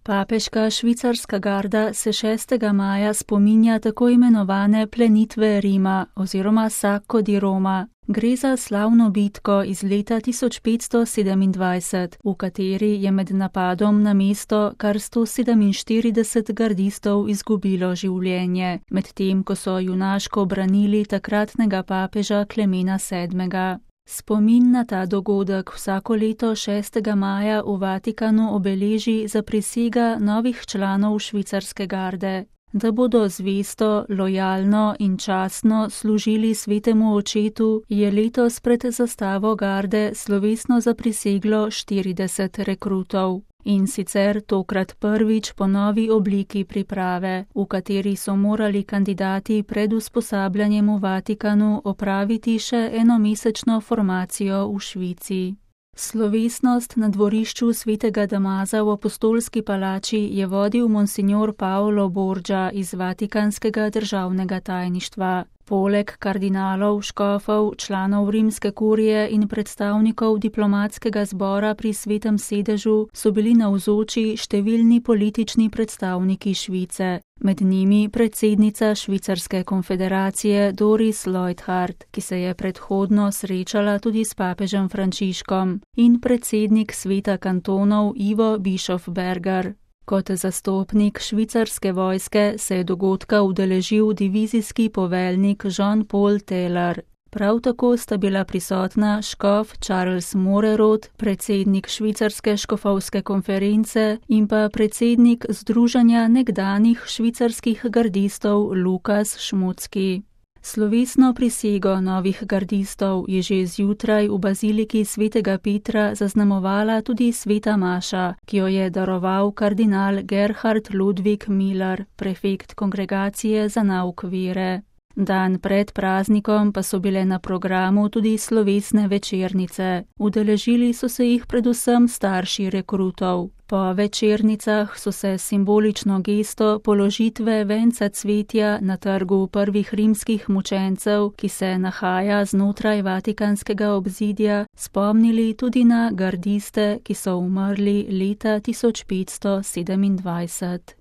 Papeška švicarska garda se 6. maja spominja tako imenovane plenitve Rima oziroma Sacco di Roma. Gre za slavno bitko iz leta 1527, v kateri je med napadom na mesto kar 147 gardistov izgubilo življenje, medtem ko so junaško branili takratnega papeža Klemena VII. Spomin na ta dogodek vsako leto 6. maja v Vatikanu obeleži zaprisega novih članov švicarske garde, da bodo zvesto, lojalno in častno služili svetemu očetu, je letos pred zastavo garde slovesno zapriseglo 40 rekrutov. In sicer tokrat prvič po novi obliki priprave, v kateri so morali kandidati pred usposabljanjem v Vatikanu opraviti še enomesečno formacijo v Švici. Slovesnost na dvorišču svetega Damaza v Apostolski palači je vodil monsignor Paolo Borgia iz Vatikanskega državnega tajništva. Poleg kardinalov, škofov, članov rimske kurije in predstavnikov diplomatskega zbora pri Svetem sedežu so bili navzoči številni politični predstavniki Švice, med njimi predsednica Švicarske konfederacije Doris Leuthard, ki se je predhodno srečala tudi s papežem Frančiškom, in predsednik sveta kantonov Ivo Bischofberger. Kot zastopnik švicarske vojske se je dogodka udeležil divizijski poveljnik Jean-Paul Taylor. Prav tako sta bila prisotna škof Charles Morerod, predsednik švicarske škofovske konference in pa predsednik Združenja nekdanjih švicarskih gardistov Lukas Šmucki. Slovesno prisego novih gardistov je že zjutraj v baziliki svetega Petra zaznamovala tudi sveta maša, ki jo je daroval kardinal Gerhard Ludwig Miller, prefekt kongregacije za nauk vere. Dan pred praznikom pa so bile na programu tudi slovesne večernice. Udeležili so se jih predvsem starši rekrutov. Po večernicah so se simbolično gesto položitve venca cvetja na trgu prvih rimskih mučencev, ki se nahaja znotraj vatikanskega obzidja, spomnili tudi na gardiste, ki so umrli leta 1527.